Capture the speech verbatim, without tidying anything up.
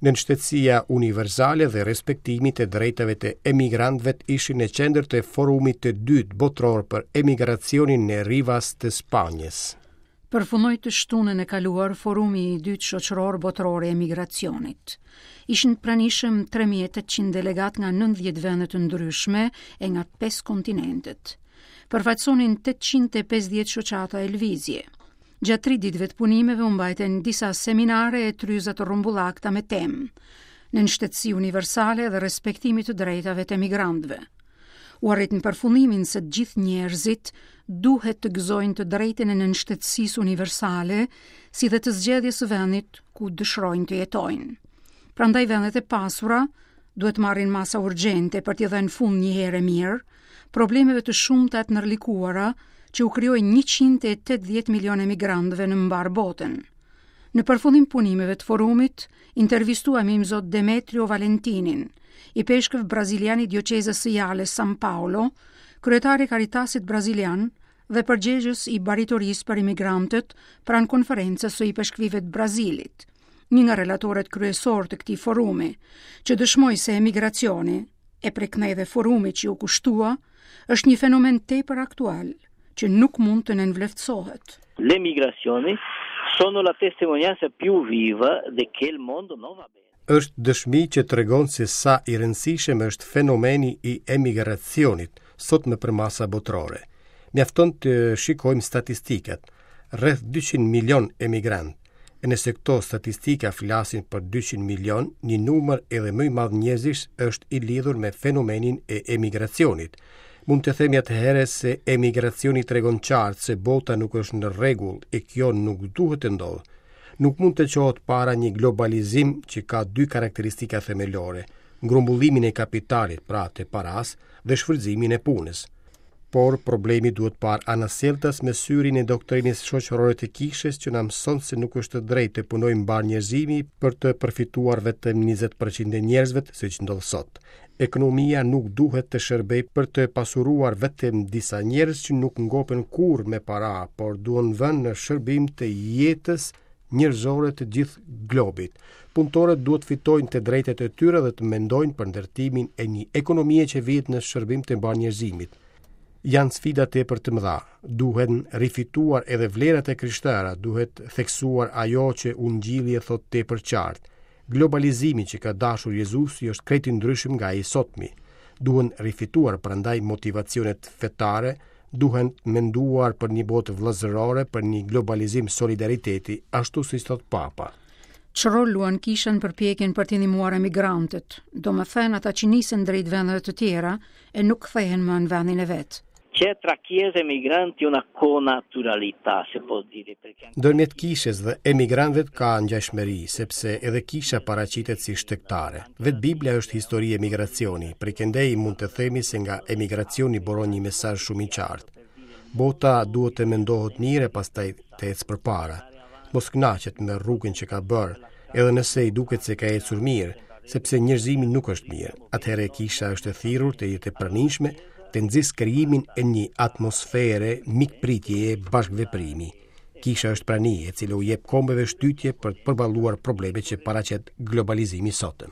Nënshtetësia universale dhe respektimi të drejtave të emigrantëve ishin në qendër të forumit të dytë botëror për emigracionin në Rivas të Spanjës. Përfundoi të shtunën e kaluar forumi i dytë shoqëror botëror i emigracionit. Ishin të pranishëm tre mijë e tetëqind delegat nga nëntëdhjetë vende të ndryshme e nga pesë kontinentet. Përfaqësonin tetëqind e pesëdhjetë shoqata e lëvizje. Gjatë tri ditëve të punimeve u mbajtën disa seminare e tryza të rrumbullakta me temë nënshtetësi universale dhe respektimi të drejtave të emigrantëve. U arrit në përfundimin se të gjithë njerëzit duhet të gëzojnë të drejtën e nënshtetësisë universale, si dhe të zgjedhjes së vendit ku dëshirojnë të jetojnë. Prandaj vendet e pasura duhet marrin masa urgjente për t'i dhënë fund një herë e mirë problemeve të shumta të ndërlikuara që u krijojnë njëqind e tetëdhjetë milion emigrantëve në mbar botën. Në përfundim punimeve të forumit, intervistuam Imzot Demetrio Valentinin, i peshkëv brazilian i dioqezës së Jales San Paolo, kryetari i Caritasit brazilian dhe përgjegjës i baritorisë për imigrantët pranë konferencës së ipeshkvive të Brazilit, një nga relatorët kryesor të këtij forumi, që dëshmoi se emigracioni, e preknej dhe forumi që u kushtua, është një fenomen tepër aktual, që nuk mund të nënvleftësohet. Le migrazioni sono la testimonianza più viva de che il mondo non va bene. Është dëshmi që tregon se sa i rëndësishëm është fenomeni i emigracionit sot me përmasa botërore. Mjafton të shikojmë statistikat. Rreth dyqind milion emigrant. E nëse këto statistika flasin për dyqind milion, një numër edhe më i madh njerëzish është i lidhur me fenomenin e emigracionit. Mund të themi atëherë se emigracioni tregon qartë se bota nuk është në rregull e kjo nuk duhet të ndodhë. Nuk mund të çohet para një globalizim që ka dy karakteristika themelore, grumbullimin e kapitalit, pra të paras, dhe shfrytëzimin e punës. Por problemi duhet parë anasjelltas me syrin e doktrinës shoqërore të kishës që na mëson se nuk është drejtë të punojë mbar njerëzimi për të përfituar vetëm njëzet përqind e njerëzve, siç ndodh sot. Ekonomia nuk duhet të shërbejë për të pasuruar vetëm disa njerëz që nuk ngopen kurrë me para, por duhen vënë në shërbim të jetës njerëzore të gjithë globit. Punëtorët duhet fitojnë të drejtat e tyre dhe të mendojnë për ndërtimin e një ekonomie që vihet në shërbim të mbar njerëzimit. Janë sfida tepër të mëdha. Duhen rifituar edhe vlerat e krishtera, duhet theksuar ajo që Ungjilli e thot tepër qartë. Globalizimi që ka dashur Jezusi është krejt i ndryshëm nga ai i sotmi. Duhen rifituar prandaj motivacionet fetare, duhen menduar për një botë vëllazërore, për një globalizim solidariteti, ashtu siç thot Papa. Ç'rol luan kisha në përpjekjen për të ndihmuar emigrantët, domethënë ata që nisen drejt vendeve të tjera e nuk kthehen më në vendin e vet? C'è tra chiesa e migranti una connaturalità, se può dire, perché anche Ndërmjet kishës dhe emigrantëve ka ngjashmëri, sepse edhe kisha paraqitet si shtegtare. Vetë Bibla është histori emigracioni, prej këndej mund të themi se nga emigracioni buron një mesazh shumë i qartë. Bota duhet të mendohet mirë e pastaj të ecë përpara. Mos kënaqet me rrugën që ka bërë, edhe nëse i duket se ka ecur mirë, sepse njerëzimi nuk është mirë. Atëherë kisha është e thirrur të jetë e pranishme, të nxis krijimin e një atmosfere mikpritjeje bashkëveprimi. Kisha është prani e cila u jep kombeve shtytje për të përballuar problemet që paraqet globalizimi i sotëm.